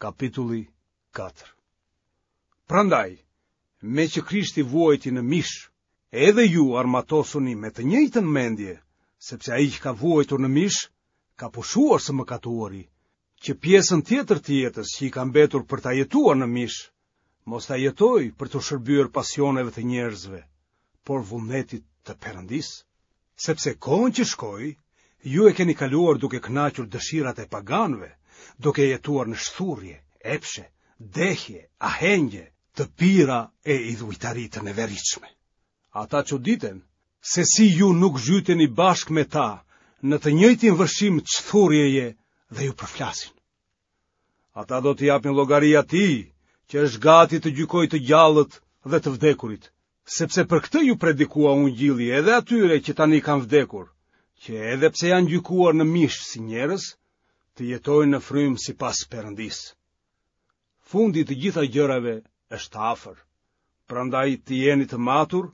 Kapitulli 4 Prandaj, meqë Krishti vuajti në mish, edhe ju armatosuni me të njëjtën mendje, sepse ai që ka vuajtur në mish, ka pushuar së mëkatuari, që pjesën tjetër të jetës që i ka mbetur për ta jetuar në mish, mos ta jetojë për t'u shërbyer pasioneve të njerëzve, por vullnetit të Perëndisë. Sepse kohën që shkoi, ju e keni kaluar duke kënaqur dëshirat e paganëve, duke jetuar në shthurje, epshe, dehje, ahengje, të pira e idhujtari të neveritshme. Ata çuditen se si ju nuk zhyteni bashkë me ta në të njëjtin vërshim çthurjeje dhe ju përflasin. Ata do t'i japin llogari atij që është gati të gjykojë të gjallët dhe të vdekurit, sepse për këtë iu predikua ungjilli edhe atyre që tani kanë vdekur, që edhe pse janë gjykuar në mish si njerëz, të jetojnë në frymë sipas Perëndisë. Fundi i të gjitha gjërave është afër. Prandaj të jeni të matur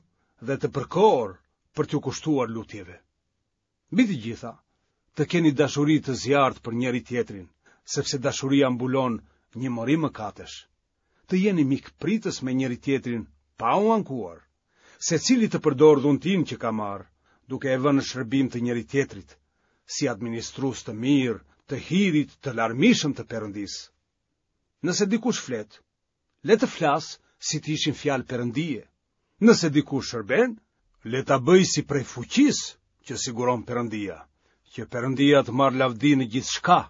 dhe të përkohur për t'iu kushtuar lutjeve. Mbi të gjitha, të keni dashuri të zjarrtë për njëri-tjetrin, sepse dashuria mbulon një mori mëkatesh. Të jeni mikpritës me njëri-tjetrin pa u ankuar. Secili të përdorë dhuntinë që ka marrë, duke e vënë në shërbim të njëri-tjetrit, si administrues të mirë të hirit të larmishëm të Perëndisë. Nëse dikush flet, le të flasë si të ishin fjalë Perëndie. Nëse dikush shërben, le ta bëjë si prej fuqisë që siguron Perëndia, që Perëndia të marrë lavdi në gjithçka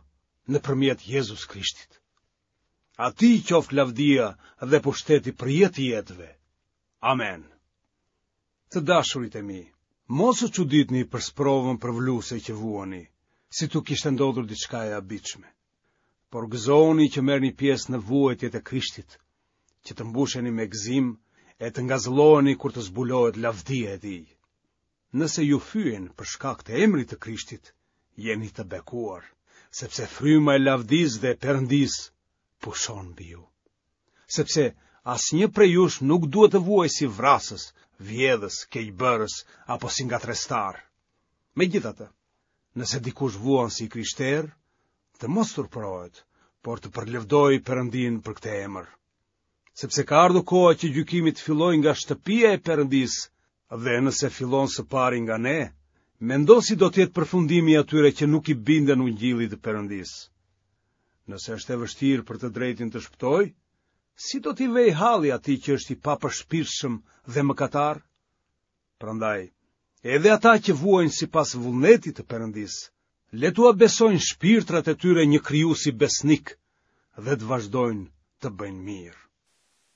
nëpërmjet Jezus Krishtit. Atij i qoftë lavdia dhe pushteti për jetë të jetëve. Amen. Të dashurit e mi, mos u çuditni për sprovën përvëluese që vuani, si t'u kishte ndodhur diçka e habitshme. Por gëzohuni që merrni pjesë në vuajtjet e Krishtit, që të mbusheni me gëzim e të ngazëlloheni kur të zbulohet lavdia e tij. Nëse ju fyejnë për shkak të emrit të Krishtit, jeni të bekuar, sepse fryma e lavdisë dhe e Perëndisë pushon mbi ju. Sepse asnjë prej jush nuk duhet të vuajë si vrasës, vjedhës, keqbërës apo si ngatërrestar. Megjithatë, Nëse dikush vuan si i krishterë, të mos turpërohet, por të përlëvdojë Perëndinë për këtë emër. Sepse ka ardhur koha që gjykimi të fillojë nga shtëpia e Perëndisë dhe nëse fillon së pari nga ne, mendo si do të jetë përfundimi i atyre që nuk i binden ungjillit të Perëndisë. Nëse është e vështirë për të drejtin të shpëtojë, si do t'i vejë halli atij që është i papërshpirtshëm dhe mëkatar? Prandaj, edhe ata që vuajnë sipas vullnetit të Perëndisë, le t'ua besojnë shpirtrat e tyre një krijuesi besnik dhe të vazhdojnë të bëjnë mirë.